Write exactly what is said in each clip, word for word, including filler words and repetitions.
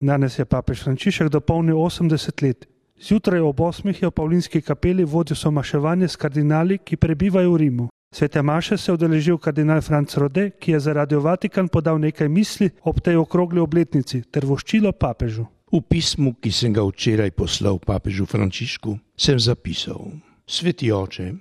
Danes je papež Frančišek dopolnil osemdeset let. Zjutraj ob osmih je v Pavlinski kapeli vodil somaševanje s kardinali, ki prebivajo v Rimu. Svete maše se je udeležil kardinal Franc Rode, ki je za Radio Vatikan podal nekaj misli ob tej okrogli obletnici ter voščilo papežu. V pismu, ki sem ga včeraj poslal papežu Frančišku, sem zapisal: Sveti oče,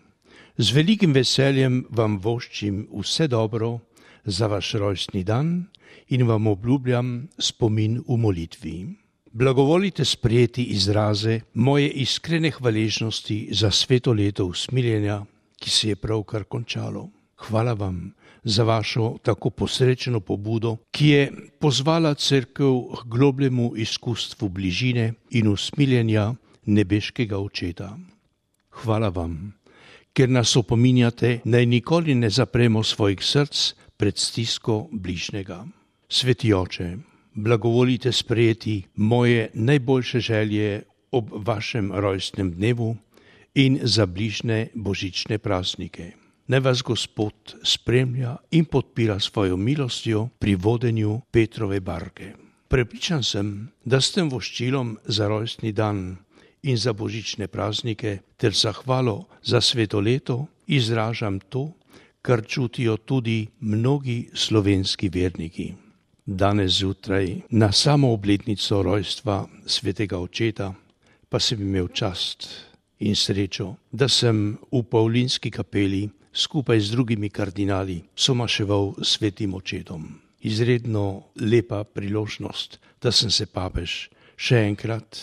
z velikim veseljem vam voščim vse dobro za vaš rojstni dan in vam obljubljam spomin v molitvi. Blagovolite sprejeti izraze moje iskrene hvaležnosti za sveto leto usmiljenja, ki se je pravkar končalo. Hvala vam za vašo tako posrečeno pobudo, ki je pozvala cerkev k globljemu izkustvu bližine in usmiljenja nebeškega očeta. Hvala vam, ker nas opominjate, naj nikoli ne zapremo svojih src pred stisko bližnjega. Sveti oče, blagovolite sprejeti moje najboljše želje ob vašem rojstnem dnevu in za bližnje božične praznike. Naj vas Gospod spremlja in podpira svojo milostjo pri vodenju Petrove barke. Prepričan sem, da s tem voščilom za rojstni dan in za božične praznike ter zahvalo za sveto leto izražam to, kar čutijo tudi mnogi slovenski verniki. Danes zjutraj, na samo obletnico rojstva svetega očeta, pa sem imel čast in srečo, da sem v Pavlinski kapeli skupaj z drugimi kardinali somaševal s svetim očetom. Izredno lepa priložnost, da sem se papež še enkrat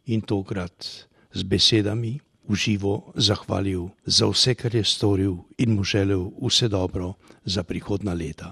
in tokrat z besedami v živo zahvalil za vse, kar je storil in mu želel vse dobro za prihodnja leta.